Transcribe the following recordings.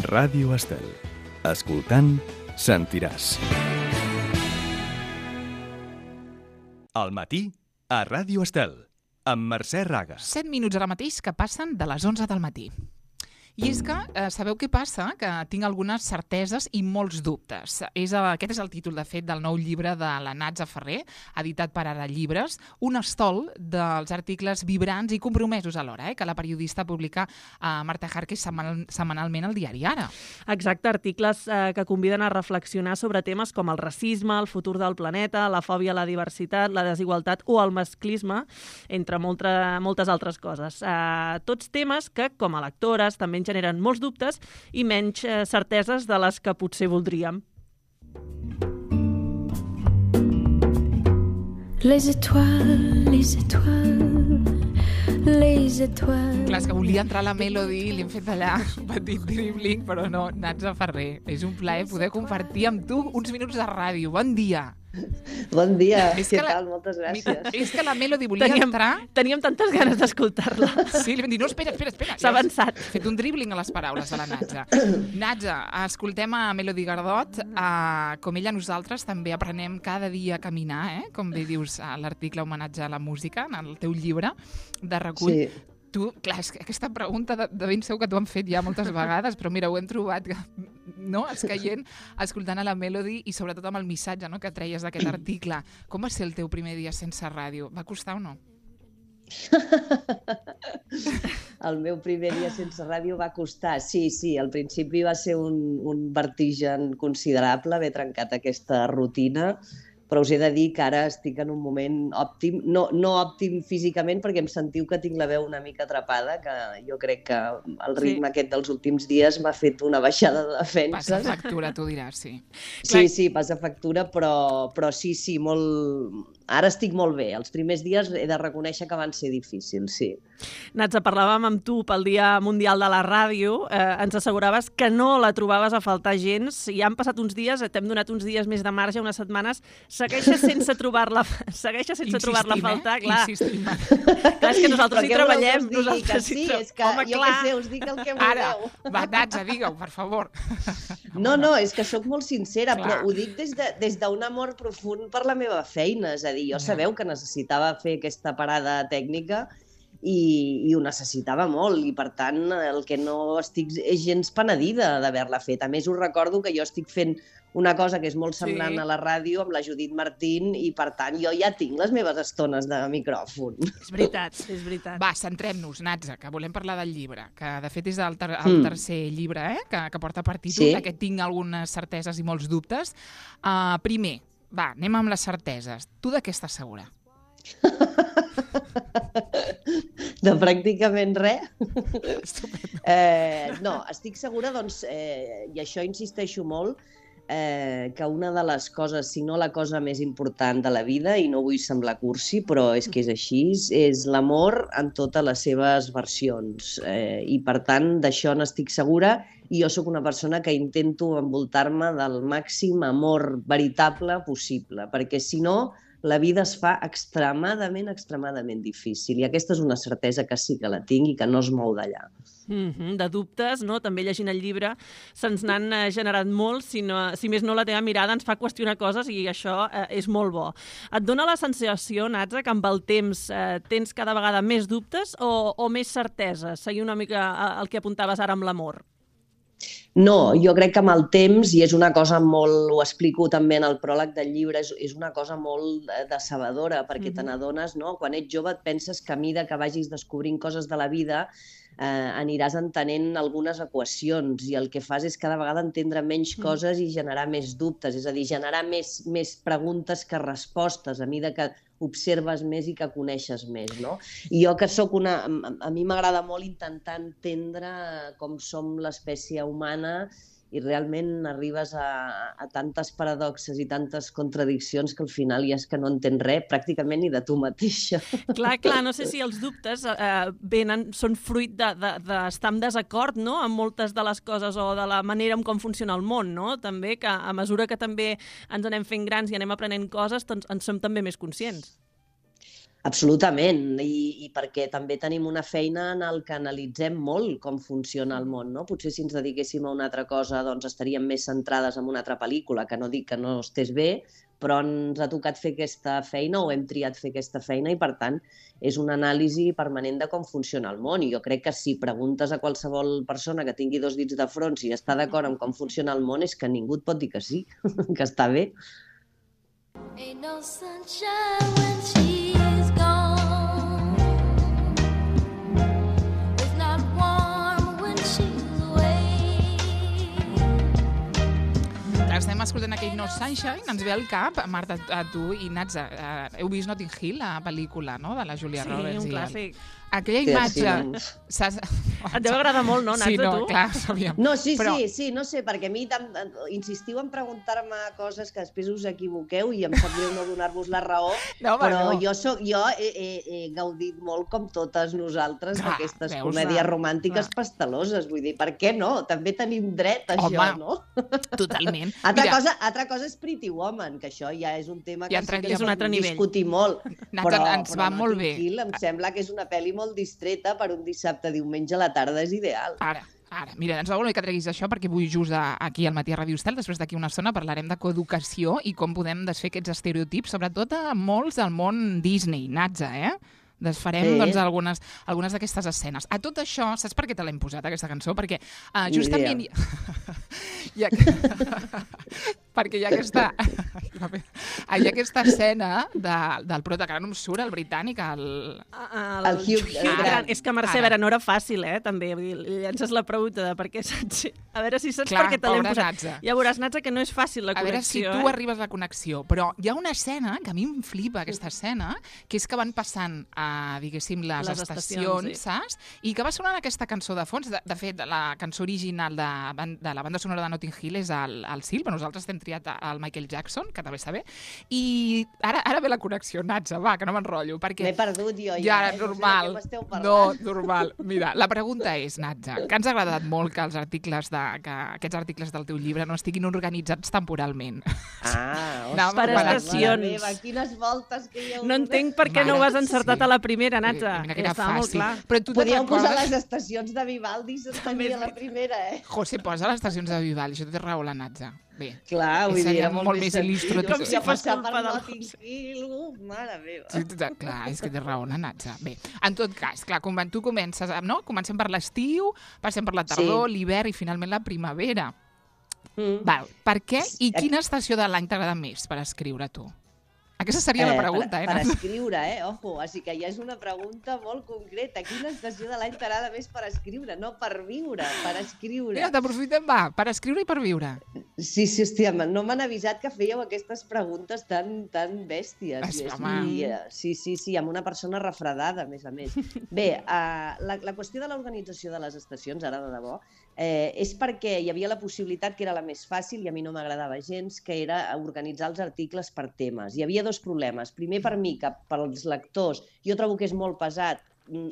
Ràdio Estel. Escoltant, sentiràs. Al matí, a Ràdio Estel, amb Mercè Raga. 7 minuts ara mateix que passen de les 11 del matí. I és que, sabeu què passa? Que tinc algunes certeses i molts dubtes. Aquest és el títol, de fet, del nou llibre de la Natza Ferrer, editat per Ara Llibres, un estol dels articles vibrants i compromesos alhora, que la periodista publica Marta Jarque setmanalment al diari Ara. Exacte, articles que conviden a reflexionar sobre temes com el racisme, el futur del planeta, la fòbia a la diversitat, la desigualtat o el masclisme, entre moltes altres coses. Tots temes que, com a lectores, també generen molts dubtes i menys certeses de les que potser voldríem. Les étoiles, les étoiles, les étoiles... Clar, és que volia entrar a la Melody i li hem fet allà un petit dribbling, però no, Natza Ferrer. És un plaer poder compartir amb tu uns minuts de ràdio. Bon dia! Bon dia, què tal? Moltes gràcies. És que la Melody volia entrar... Teníem tantes ganes d'escoltar-la. Sí, li vam dir, no, espera. S'ha avançat. He fet un dribbling a les paraules de la Natza. Natza, escoltem a Melody Gardot. Com ella, nosaltres també aprenem cada dia a caminar, com bé dius a l'article homenatge a la música, en el teu llibre de recull. Sí. Tu, clar, és que aquesta pregunta de ben segur que t'ho han fet ja moltes vegades, però mira, ho hem trobat, no?, escaient, escoltant a la Melody i sobretot amb el missatge, no?, que treies d'aquest article. Com va ser el teu primer dia sense ràdio? Va costar o no? El meu primer dia sense ràdio va costar. Sí, al principi va ser un vertigen considerable haver trencat aquesta rutina, però us he de dir que ara estic en un moment òptim, no òptim físicament perquè em sentiu que tinc la veu una mica atrapada, que jo crec que el ritme aquest dels últims dies m'ha fet una baixada de defenses. Passa factura, tu diràs, sí. Sí, passa factura, però sí, molt... Ara estic molt bé. Els primers dies he de reconèixer que van ser difícils, sí. Natza, parlàvem amb tu pel Dia Mundial de la Ràdio. Ens asseguraves que no la trobaves a faltar gens. Ja han passat uns dies, t'hem donat uns dies més de marge, unes setmanes. Segueixes sense trobar-la a faltar, clar. Insistim. Clar, és que nosaltres hi treballem. És que jo què sé, us dic el que voleu. Ara, va, Natza, digue-ho, per favor. No, és que sóc molt sincera, però ho dic des d'un amor profund per la meva feina, és a dir, jo sabeu que necessitava fer aquesta parada tècnica i ho necessitava molt i, per tant, el que no estic és gens penedida d'haver-la fet. A més, us recordo que jo estic fent una cosa que és molt semblant a la ràdio amb la Judit Martín i, per tant, jo ja tinc les meves estones de micròfon. És veritat. Va, centrem-nos, Natza, que volem parlar del llibre, que de fet és el tercer llibre que porta per títol, que tinc algunes certeses i molts dubtes. Primer, va, anem amb les certeses. Tu de què estàs segura? De pràcticament res. No, estic segura, doncs, i això insisteixo molt, que una de les coses, si no la cosa més important de la vida, i no vull semblar cursi, però és que és així, és l'amor en totes les seves versions. I, per tant, d'això n'estic segura, i jo sóc una persona que intento envoltar-me del màxim amor veritable possible, perquè si no, la vida es fa extremadament difícil. I aquesta és una certesa que sí que la tinc i que no es mou d'allà. De dubtes, no? També llegint el llibre se'ns n'han generat molts, si més no la teva mirada ens fa qüestionar coses i això és molt bo. Et dona la sensació, Natza, que amb el temps tens cada vegada més dubtes o més certeses? Seguir una mica el que apuntaves ara amb l'amor. No, jo crec que amb el temps, i és una cosa molt, ho explico també en el pròleg del llibre, és una cosa molt decebedora, perquè te n'adones, no? Quan ets jove et penses que a mesura que vagis descobrint coses de la vida aniràs entenent algunes equacions i el que fas és cada vegada entendre menys coses i generar més dubtes, és a dir, generar més preguntes que respostes a mesura que observes més i que coneixes més, no? I jo que sóc a mi m'agrada molt intentar entendre com som l'espècie humana i realment arribes a tantes paradoxes i tantes contradiccions que al final ja és que no entens res pràcticament ni de tu mateixa. Clar, no sé si els dubtes són fruit d'estar en desacord, no?, amb moltes de les coses o de la manera en com funciona el món, no? També que a mesura que també ens anem fent grans i anem aprenent coses, doncs en som també més conscients. Absolutament, i perquè també tenim una feina en el que analitzem molt com funciona el món, no? Potser si ens dediquéssim a una altra cosa doncs estaríem més centrades en una altra pel·lícula, que no dic que no estés bé, però ens ha tocat fer aquesta feina o hem triat fer aquesta feina i, per tant, és una anàlisi permanent de com funciona el món. I jo crec que si preguntes a qualsevol persona que tingui 2 dits de front si està d'acord amb com funciona el món, és que ningú et pot dir que sí, que està bé. Ain't no sunshine when she's gone. It's not warm when she's away. Estem escoltant aquell No Sunshine, ens ve al cap, Marta, a tu i Natza, heu vist Notting Hill, la pel·lícula, no?, de la Julia Roberts. Sí, un clàssic. Aquella imatge... Et deu agradar molt, no, Natza, sí, no, tu? clar, sabíem. No, sí, Però... sí, no sé, perquè a mi insistiu en preguntar-me coses que després us equivoqueu i em sap greu no donar-vos la raó, No, però no. jo he gaudit molt, com totes nosaltres, Clar, d'aquestes veus, comèdies clar. romàntiques pasteloses. Vull dir, per què no? També tenim dret a Home, això, no? Totalment. Altra cosa és Pretty Woman, que això ja és un tema que Ja sí que és un altre nivell. discutir molt. Natza, ens va molt bé. Notting Hill em sembla que és una pel·li molt distreta per un dissabte, diumenge a la tarda, és ideal. Ara, mira, ens va molt bé que treguis això perquè vull just aquí al Matí a Ràdio Estel, després d'aquí una estona parlarem de coeducació i com podem desfer aquests estereotips, sobretot a molts del món Disney, Natza, Desfarem doncs, algunes d'aquestes escenes. A tot això, saps per què te l'hem posat, aquesta cançó? Perquè justament... perquè hi ha aquesta escena del prota, que ara no em surt, el britànic, El Hugh Grant. És que, Mercè, a veure, no era fàcil, també. Vull dir, li llences la pregunta de per què saps... A veure si saps Clar, per què te l'hem pobra posat. Natza. Ja veuràs, Natza, que no és fàcil la connexió. A veure si tu arribes a la connexió. Però hi ha una escena, que a mi em flipa aquesta escena, que és que van passant, diguéssim, les estacions, sí. saps? I que va sonant aquesta cançó de fons. De fet, la cançó original de la banda sonora de Notting Hill és el Sil, però nosaltres hem triat el Michael Jackson, que també està bé. I ara ve la connexió, Natza, va, que no m'enrotllo. M'he perdut jo ja. Normal. No, normal. Mira, la pregunta és, Natza, que ens ha agradat molt que aquests articles del teu llibre no estiguin organitzats temporalment. Per estacions. Meva, quines voltes que hi ha. No entenc per què no ho has encertat a la primera, Natza. Mira que era fàcil. Però tu podíeu posar les estacions de Vivaldi també a la primera, José, posa les estacions de Vivaldi, això té raó la Natza. Bé, clar, vull dir, seria molt més il·lustratiu. Com si fos culpa per del Notting Hill, mare meva. Sí, clar, és que té raó la Natza. Bé, en tot cas, clar, tu comences, no? Comencem per l'estiu, passem per la tardor, l'hivern i finalment la primavera. Val, per què i quina estació de l'any t'agrada més per escriure tu? Aquesta seria la pregunta, Per escriure, ojo, així que ja és una pregunta molt concreta. Quina estació de l'any t'agrada més per escriure? No per viure, per escriure. Mira, t'aprofitem, va, per escriure i per viure. Sí, hòstia, no m'han avisat que fèieu aquestes preguntes tan bèsties. Sí, amb una persona refredada, a més. Bé, la qüestió de l'organització de les estacions, ara de debò, és perquè hi havia la possibilitat, que era la més fàcil i a mi no m'agradava gens, que era organitzar els articles per temes. Hi havia 2 problemes. Primer, per mi, que pels lectors, jo trobo que és molt pesat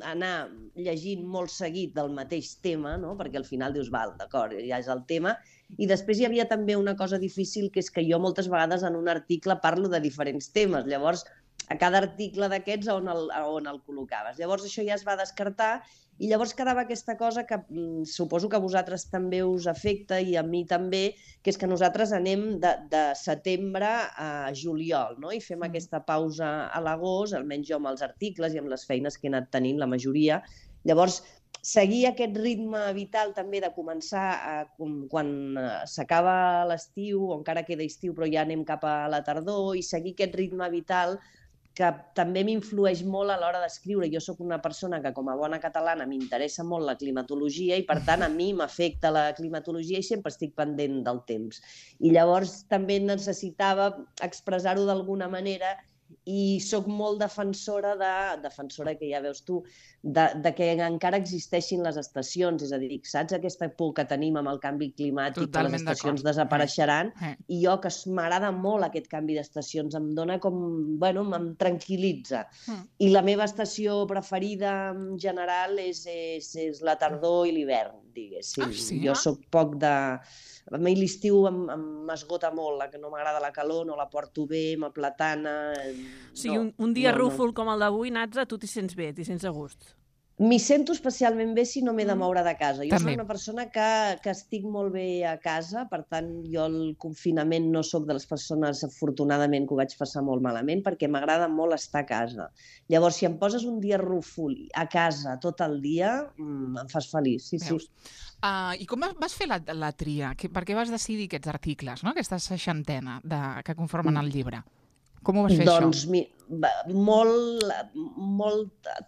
anar llegint molt seguit del mateix tema, no? Perquè al final dius, val, d'acord, ja és el tema. I després hi havia també una cosa difícil, que és que jo moltes vegades en un article parlo de diferents temes. Llavors, a cada article d'aquests on el col·locaves. Llavors això ja es va descartar i llavors quedava aquesta cosa que suposo que a vosaltres també us afecta i a mi també, que és que nosaltres anem de setembre a juliol, no? I fem aquesta pausa a l'agost, almenys jo amb els articles i amb les feines que he anat tenint, la majoria. Llavors, seguir aquest ritme vital també de començar quan s'acaba l'estiu, o encara queda estiu però ja anem cap a la tardor, i seguir aquest ritme vital que també m'influeix molt a l'hora d'escriure. Jo sóc una persona que, com a bona catalana, m'interessa molt la climatologia i, per tant, a mi m'afecta la climatologia i sempre estic pendent del temps. I llavors també necessitava expressar-ho d'alguna manera i sóc molt defensora que ja veus tu, de que encara existeixin les estacions, és a dir, saps aquesta por que tenim amb el canvi climàtic, que les estacions desapareixeran, i jo, que m'agrada molt aquest canvi d'estacions, em dona com, bueno, em tranquil·litza. I la meva estació preferida en general és la tardor i l'hivern, diguéssim. Jo soc poc de... A mi l'estiu m'esgota molt, que no m'agrada la calor, no la porto bé, m'aplatana, O sigui, un dia rúfol com el d'avui, Natza, tu t'hi sents bé, t'hi sents a gust. M'hi sento especialment bé si no m'he de moure de casa. Jo També. soc una persona que estic molt bé a casa, per tant, jo el confinament no sóc de les persones, afortunadament, que ho vaig passar molt malament, perquè m'agrada molt estar a casa. Llavors, si em poses un dia rúfol a casa tot el dia, em fas feliç, sí, Veus? sí. I com vas fer la tria? Per què vas decidir aquests articles, no? Aquesta seixantena que conformen el llibre? Com ho vas fer, Doncs això?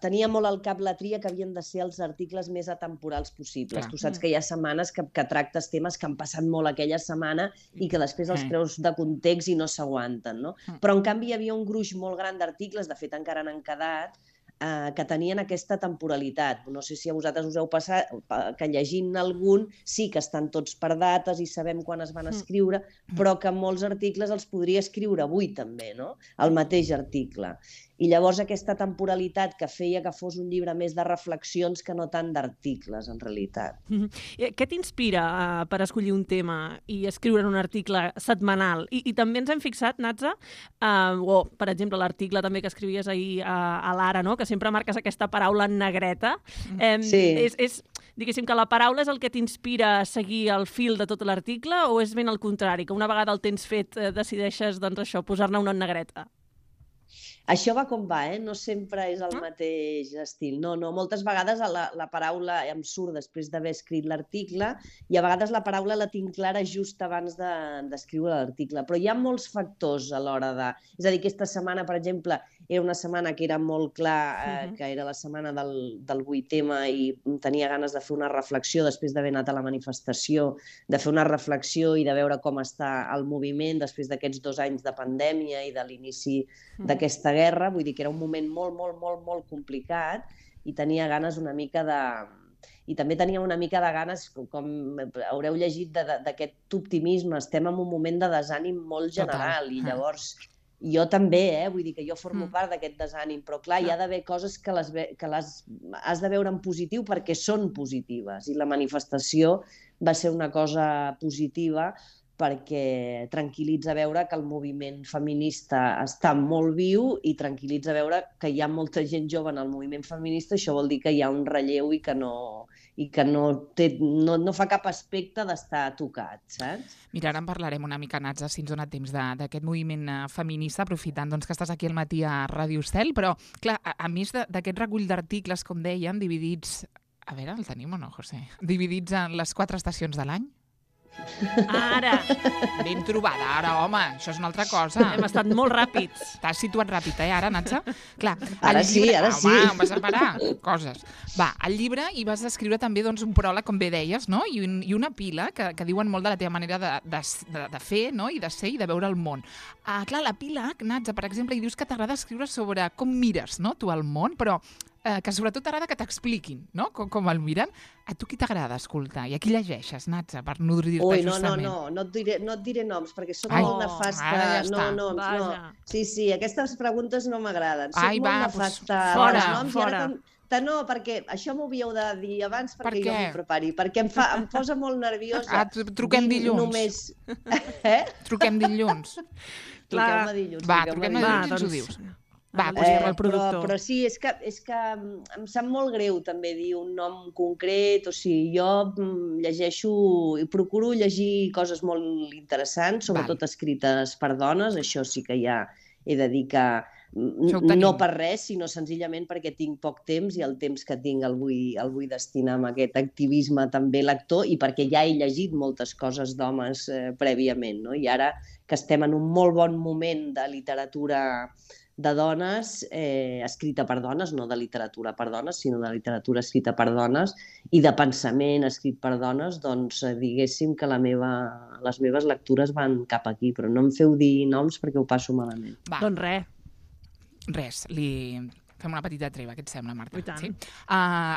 tenia molt al cap la tria que havien de ser els articles més atemporals possibles. Clar. Tu saps que hi ha setmanes que tractes temes que han passat molt aquella setmana i que després els treus de context i no s'aguanten, no? Però, en canvi, hi havia un gruix molt gran d'articles, de fet encara n'han quedat, que tenien aquesta temporalitat. No sé si a vosaltres us heu passat, que llegint algun sí que estan tots per dates i sabem quan es van escriure, però que molts articles els podria escriure avui també, no? El mateix article. I llavors aquesta temporalitat que feia que fos un llibre més de reflexions que no tant d'articles, en realitat. Què t'inspira per escollir un tema i escriure un article setmanal? I també ens hem fixat, Natza, per exemple, l'article també que escrivies ahir a l'Ara, no? Que sempre marques aquesta paraula en negreta. Sí. Diguéssim que la paraula és el que t'inspira a seguir el fil de tot l'article o és ben al contrari, que una vegada el tens fet decideixes, doncs això, posar-ne una en negreta? Això va com va, no sempre és el mateix estil. No, moltes vegades la paraula em surt després d'haver escrit l'article i a vegades la paraula la tinc clara just abans d'escriure l'article. Però hi ha molts factors a l'hora de... És a dir, aquesta setmana, per exemple, era una setmana que era molt clar que era la setmana del 8M i tenia ganes de fer una reflexió després d'haver anat a la manifestació, de fer una reflexió i de veure com està el moviment després d'aquests 2 anys de pandèmia i de l'inici d'aquesta guerra. Vull dir que era un moment molt complicat i tenia ganes una mica de... I també tenia una mica de ganes, com haureu llegit, d'aquest optimisme. Estem en un moment de desànim molt general i llavors... Jo també, vull dir que jo formo part d'aquest desànim, però clar, hi ha d'haver coses que has de veure en positiu perquè són positives i la manifestació va ser una cosa positiva perquè tranquil·litza veure que el moviment feminista està molt viu i tranquil·litza veure que hi ha molta gent jove en el moviment feminista. Això vol dir que hi ha un relleu i que no fa cap aspecte d'estar tocat, saps? Mira, ara en parlarem una mica, Natza, si ens dona temps d'aquest moviment feminista, aprofitant doncs, que estàs aquí al matí a Ràdio Estel, però, clar, a més d'aquest recull d'articles, com dèiem, dividits... A veure, el tenim o no, José? Dividits en les 4 estacions de l'any? Ara! Ben trobada, ara, home, això és una altra cosa. Hem estat molt ràpids. T'has situat ràpid, ara, Natza? Clar, Ara sí. Home, vas a parar coses. Va, al llibre hi vas escriure també doncs, un pròleg, com bé deies, no? I una pila que diuen molt de la teva manera de fer, no? I de ser i de veure el món. Clar, la pila, Natza, per exemple, hi dius que t'agrada escriure sobre com mires, no?, tu el món, però que sobretot t'agrada que t'expliquin, no?, com el miren. A tu qui t'agrada escoltar? I a qui llegeixes, Natza, per nodrir-te justament? No et diré noms, perquè soc molt nefasta. Ara ja està. No. Sí, aquestes preguntes no m'agraden. Soc molt nefasta. Fora. No, perquè això m'ho havíeu de dir abans perquè jo m'ho prepari, perquè em posa molt nerviosa. Truquem dilluns. Només... Truquem dilluns. Truquem-me dilluns. Va, truquem-me dilluns i ens ho dius. Va, el productor. Però sí, és que em sap molt greu també dir un nom concret, o sigui, jo llegeixo i procuro llegir coses molt interessants, sobretot escrites per dones, això sí que ja he de dir que no per res, sinó senzillament perquè tinc poc temps i el temps que tinc el vull destinar a aquest activisme també lector i perquè ja he llegit moltes coses d'homes prèviament, no? I ara que estem en un molt bon moment de literatura de dones, escrita per dones, no de literatura per dones, sinó de literatura escrita per dones i de pensament escrit per dones, doncs diguéssim que les meves lectures van cap aquí, però no em feu dir noms perquè ho passo malament. Va. Doncs res. Res, Fem una petita treva, què et sembla, Marta? I tant. Sí?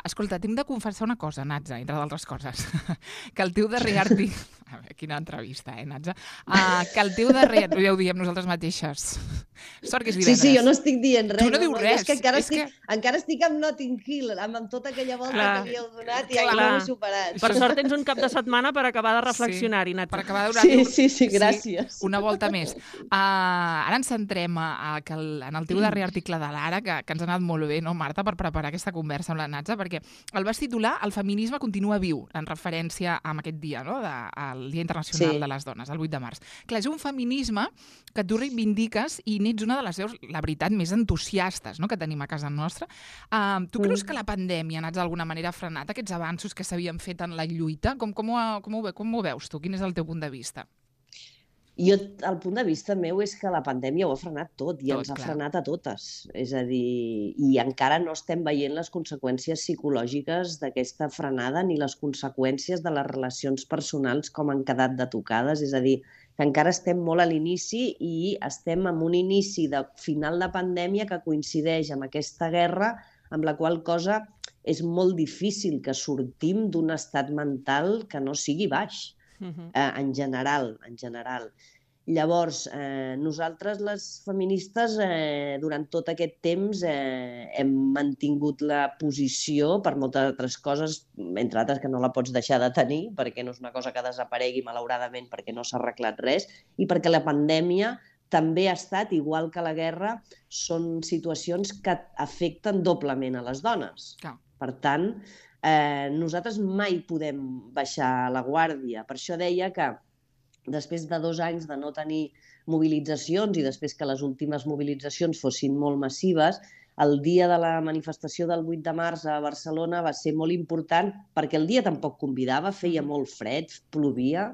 Escolta, t'hem de confessar una cosa, Natza, entre d'altres coses. Que el teu darrer article... A veure, quina entrevista, Natza? Que el teu darrer... Ja ho diem nosaltres mateixes. Sort que és divendres. Sí, jo no estic dient res. Tu no dius res. És que encara estic amb Notting Hill, amb tota aquella volta Clar. que li heu donat i Clar. no ho he superat. Per sort tens un cap de setmana per acabar de reflexionar-hi, Per Natza. acabar de donar-li Sí, gràcies. una volta més. Ara ens centrem en el teu darrer article de l'Ara, que ens ha anat molt bé, no, Marta, per preparar aquesta conversa amb la Natza, perquè el vas titular El feminisme continua viu, en referència a aquest dia, no?, al Dia Internacional de les Dones, el 8 de març. Clar, és un feminisme que tu reivindiques i n'ets una de les veus, la veritat, més entusiastes, no?, que tenim a casa nostra. Tu creus que la pandèmia, Natza, d'alguna manera ha frenat aquests avanços que s'havien fet en la lluita? Com ho veus tu? Quin és el teu punt de vista? El punt de vista meu és que la pandèmia ho ha frenat tot i ens ha clar. frenat a totes. És a dir, i encara no estem veient les conseqüències psicològiques d'aquesta frenada ni les conseqüències de les relacions personals com han quedat de tocades. És a dir, que encara estem molt a l'inici i estem en un inici de final de pandèmia que coincideix amb aquesta guerra, amb la qual cosa és molt difícil que sortim d'un estat mental que no sigui baix. En general. Llavors, nosaltres, les feministes, durant tot aquest temps hem mantingut la posició per moltes altres coses, entre altres que no la pots deixar de tenir, perquè no és una cosa que desaparegui, malauradament, perquè no s'ha arreglat res, i perquè la pandèmia també ha estat, igual que la guerra, són situacions que afecten doblement a les dones. Clar. Per tant, nosaltres mai podem baixar la guàrdia. Per això deia que després de 2 anys de no tenir mobilitzacions i després que les últimes mobilitzacions fossin molt massives, el dia de la manifestació del 8 de març a Barcelona va ser molt important perquè el dia tampoc convidava, feia molt fred, plovia,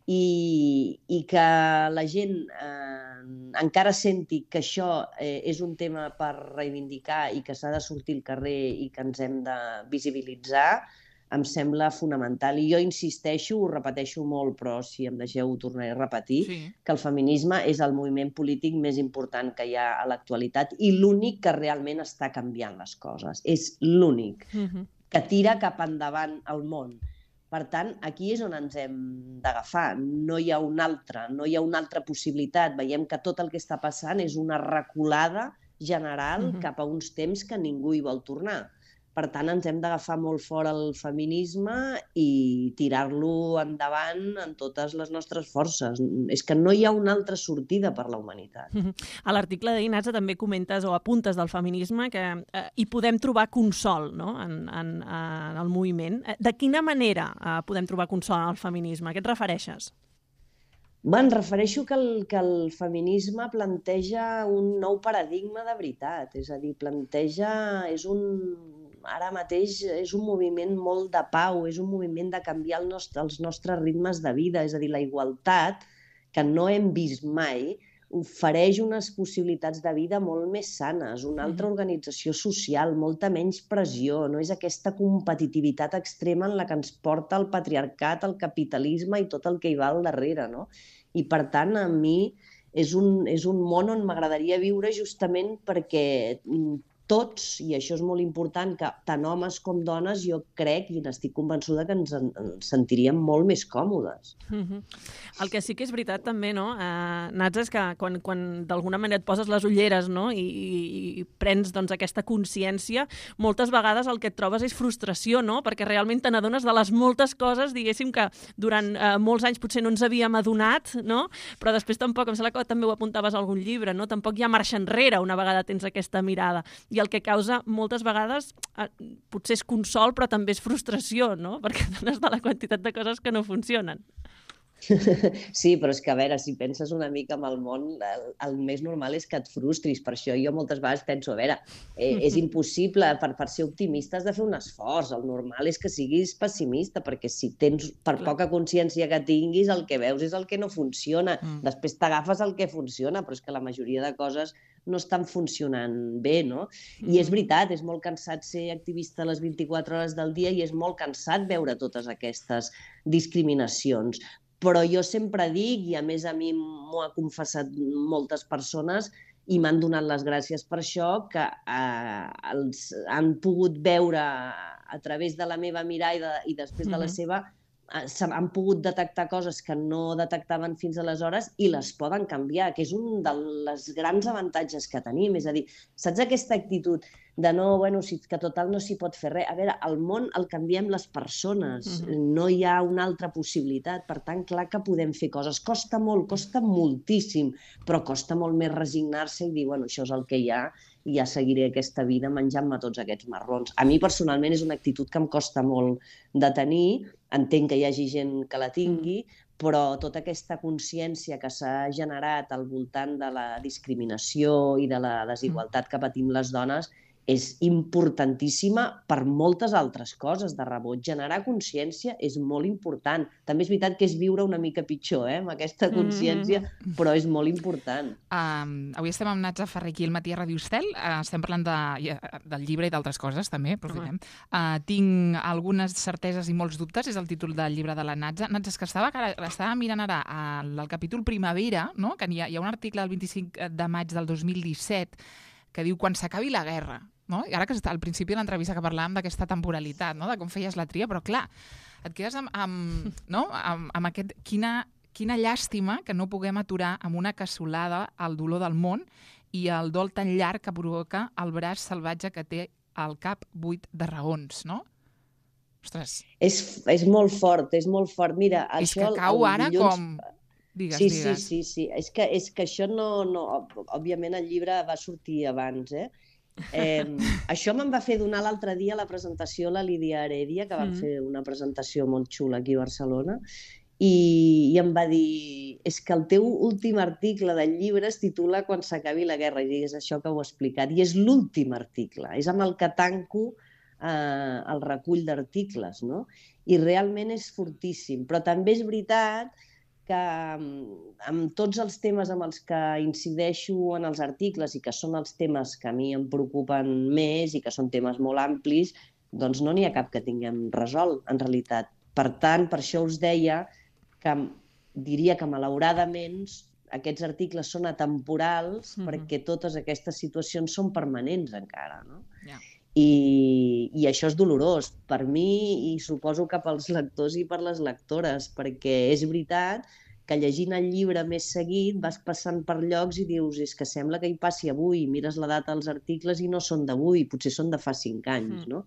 i que la gent encara senti que això és un tema per reivindicar i que s'ha de sortir al carrer i que ens hem de visibilitzar, em sembla fonamental. I jo insisteixo, ho repeteixo molt, però si em deixeu ho tornaré a repetir, que el feminisme és el moviment polític més important que hi ha a l'actualitat i l'únic que realment està canviant les coses. És l'únic que tira cap endavant el món. Per tant, aquí és on ens hem d'agafar. No hi ha una altra possibilitat. Veiem que tot el que està passant és una reculada general cap a uns temps que ningú hi vol tornar. Per tant, ens hem d'agafar molt fort el feminisme i tirar-lo endavant en totes les nostres forces. És que no hi ha una altra sortida per la humanitat. A l'article d'Inatza també comentes o apuntes del feminisme que hi podem trobar consol, no?, en el moviment. De quina manera podem trobar consol en el feminisme? A què et refereixes? Em refereixo que el feminisme planteja un nou paradigma de veritat. És a dir, ara mateix és un moviment molt de pau, és un moviment de canviar els nostres ritmes de vida. És a dir, la igualtat, que no hem vist mai, ofereix unes possibilitats de vida molt més sanes, una altra organització social, molta menys pressió, no és aquesta competitivitat extrema en la que ens porta el patriarcat, el capitalisme i tot el que hi va al darrere, no? I per tant, a mi és un món on m'agradaria viure justament perquè tots, i això és molt important, que tant homes com dones, jo crec i n'estic convençuda que ens sentiríem molt més còmodes. El que sí que és veritat també, no, Natza, és que quan d'alguna manera et poses les ulleres, no, i prens doncs, aquesta consciència, moltes vegades el que et trobes és frustració, no?, perquè realment te n'adones de les moltes coses, diguéssim, que durant molts anys potser no ens havíem adonat, no?, però després tampoc, em sembla que també ho apuntaves a algun llibre, no?, tampoc hi ha marxa enrere una vegada tens aquesta mirada. I el que causa moltes vegades potser és consol, però també és frustració, no?, perquè dones de la quantitat de coses que no funcionen. Sí, però és que, a veure, si penses una mica en el món, el més normal és que et frustris. Per això jo moltes vegades penso, a veure, és impossible, per ser optimista has de fer un esforç. El normal és que siguis pessimista, perquè si tens, per poca consciència que tinguis, el que veus és el que no funciona. Després t'agafes el que funciona, però és que la majoria de coses no estan funcionant bé, no? I és veritat, és molt cansat ser activista a les 24 hores del dia i és molt cansat veure totes aquestes discriminacions. Però jo sempre dic, i a més a mi m'ho ha confessat moltes persones, i m'han donat les gràcies per això, que els han pogut veure a través de la meva mirada i després de la seva, han pogut detectar coses que no detectaven fins aleshores i les poden canviar, que és un dels grans avantatges que tenim. És a dir, saps aquesta actitud de no, bueno, que total no s'hi pot fer res? A veure, el món el canviem les persones, no hi ha una altra possibilitat. Per tant, clar que podem fer coses. Costa molt, costa moltíssim, però costa molt més resignar-se i dir, bueno, això és el que hi ha i ja seguiré aquesta vida menjant-me tots aquests marrons. A mi, personalment, és una actitud que em costa molt de tenir. Entenc que hi hagi gent que la tingui, però tota aquesta consciència que s'ha generat al voltant de la discriminació i de la desigualtat que patim les dones és importantíssima per moltes altres coses de rebot. Generar consciència és molt important. També és veritat que és viure una mica pitjor, amb aquesta consciència, però és molt important. Avui estem amb Natza Ferrer aquí al Matí a Ràdio Estel. Estem parlant del llibre i d'altres coses, també, aprofitem. Tinc algunes certeses i molts dubtes, és el títol del llibre de la Natza. Natza, és que l'estava mirant ara al capítol Primavera, no? Que hi ha un article del 25 de maig del 2017 que diu quan s'acabi la guerra. No? I ara que al principi de l'entrevista que parlàvem d'aquesta temporalitat, no? De com feies la tria, però clar, et quedes amb aquest... Quina llàstima que no puguem aturar amb una cassolada el dolor del món i el dol tan llarg que provoca el braç salvatge que té al cap buit de raons, no? Ostres. És molt fort, és molt fort. Mira, és això... És que cau ara com... Digues. Sí. És que això no... Òbviament el llibre va sortir abans, Això me'n va fer donar l'altre dia a la presentació a la Lídia Heredia, que van fer una presentació molt xula aquí a Barcelona, i em va dir, és que el teu últim article del llibre es titula Quan s'acabi la guerra, i és això que ho he explicat, i és l'últim article, és amb el que tanco el recull d'articles, no? I realment és fortíssim, però també és veritat que amb tots els temes amb els que incideixo en els articles i que són els temes que a mi em preocupen més i que són temes molt amplis, doncs no n'hi ha cap que tinguem resolt, en realitat. Per tant, per això us deia que diria que malauradament aquests articles són atemporals perquè totes aquestes situacions són permanents encara, no? I això és dolorós per mi i suposo que pels lectors i per les lectores, perquè és veritat que llegint el llibre més seguit vas passant per llocs i dius és que sembla que hi passi avui, mires la data dels articles i no són d'avui, potser són de fa 5 anys, no?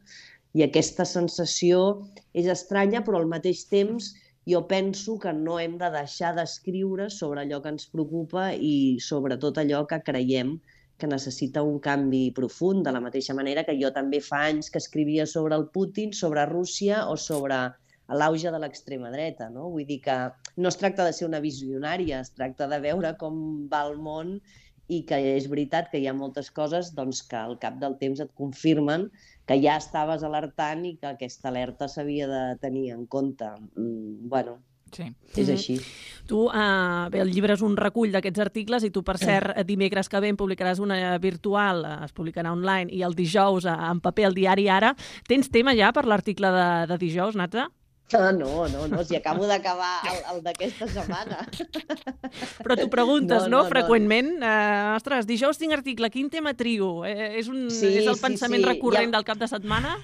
I aquesta sensació és estranya, però al mateix temps jo penso que no hem de deixar d'escriure sobre allò que ens preocupa i sobretot allò que creiem que necessita un canvi profund, de la mateixa manera que jo també fa anys que escrivia sobre el Putin, sobre Rússia o sobre l'auge de l'extrema dreta, no? Vull dir que no es tracta de ser una visionària, es tracta de veure com va el món i que és veritat que hi ha moltes coses doncs, que al cap del temps et confirmen que ja estaves alertant i que aquesta alerta s'havia de tenir en compte. Bueno, sí. És així. Tu, bé, el llibre és un recull d'aquests articles i tu, per cert, dimecres que ve en publicaràs una virtual, es publicarà online, i el dijous en paper al diari Ara. Tens tema ja per l'article de dijous, Natza? No, si acabo d'acabar el d'aquesta setmana. Però t'ho preguntes, no? Freqüentment. Ostres, dijous tinc article, quin tema trio? És el pensament recurrent del cap de setmana?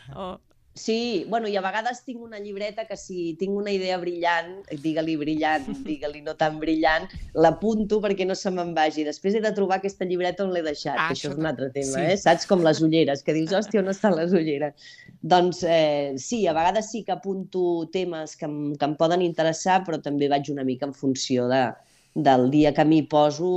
Sí, bueno, i a vegades tinc una llibreta que si tinc una idea brillant, digue-li no tan brillant, l'apunto perquè no se me'n vagi. Després he de trobar aquesta llibreta on l'he deixat, que això és un altre tema, Saps? Com les ulleres, que dius, hòstia, on estan les ulleres? Doncs sí, a vegades sí que apunto temes que em poden interessar, però també vaig una mica en funció del dia que m'hi poso,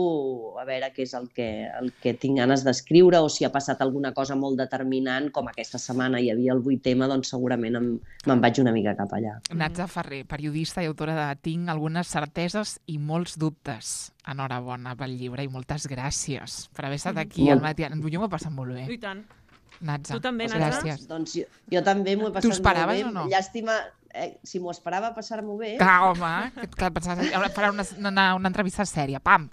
a veure què és el que tinc ganes d'escriure o si ha passat alguna cosa molt determinant, com aquesta setmana hi havia el 8 tema, doncs segurament me'n vaig una mica cap allà. Natza Ferrer, periodista i autora de Tinc algunes certeses i molts dubtes. Enhorabona pel llibre i moltes gràcies per haver estat aquí al matí. Jo m'ho he passat molt bé. I tant. Natza, tu també, Natza? Gràcies. Doncs jo també m'ho he passat molt bé. T'ho esperaves o no? Llàstima... si m'ho esperava passar-m'ho bé... Clar, home, clar, pensaves, ara farà una entrevista sèria, pam,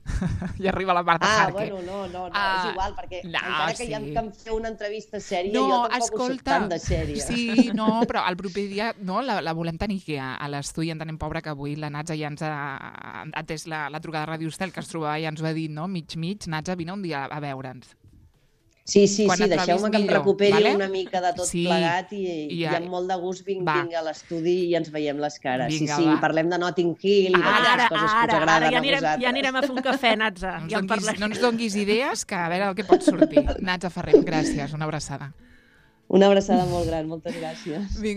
i arriba la Marta Jarque. Bueno, no, és igual, perquè encara que ja em feu una entrevista sèria, no, jo tampoc escolta, ho soc tant de sèria. Sí, no, però el proper dia no, la volem tenir aquí a l'estudi, entenem, pobra, que avui la Natza ja ens ha atès la trucada de Ràdio Estel, que es trobava i ja ens ho ha dit, no? Mig, Natza, vine un dia a veure'ns. Sí, deixeu-me que em recuperi una mica de tot plegat i amb molt de gust vinc a l'estudi i ens veiem les cares. Sí, parlem de Notting Hill i d'aquestes coses que us agraden a vosaltres. Ja anirem a fer un cafè, Natza. No ens donguis idees, que a veure el que pot sortir. Natza Ferrer, gràcies, una abraçada. Una abraçada molt gran, moltes gràcies.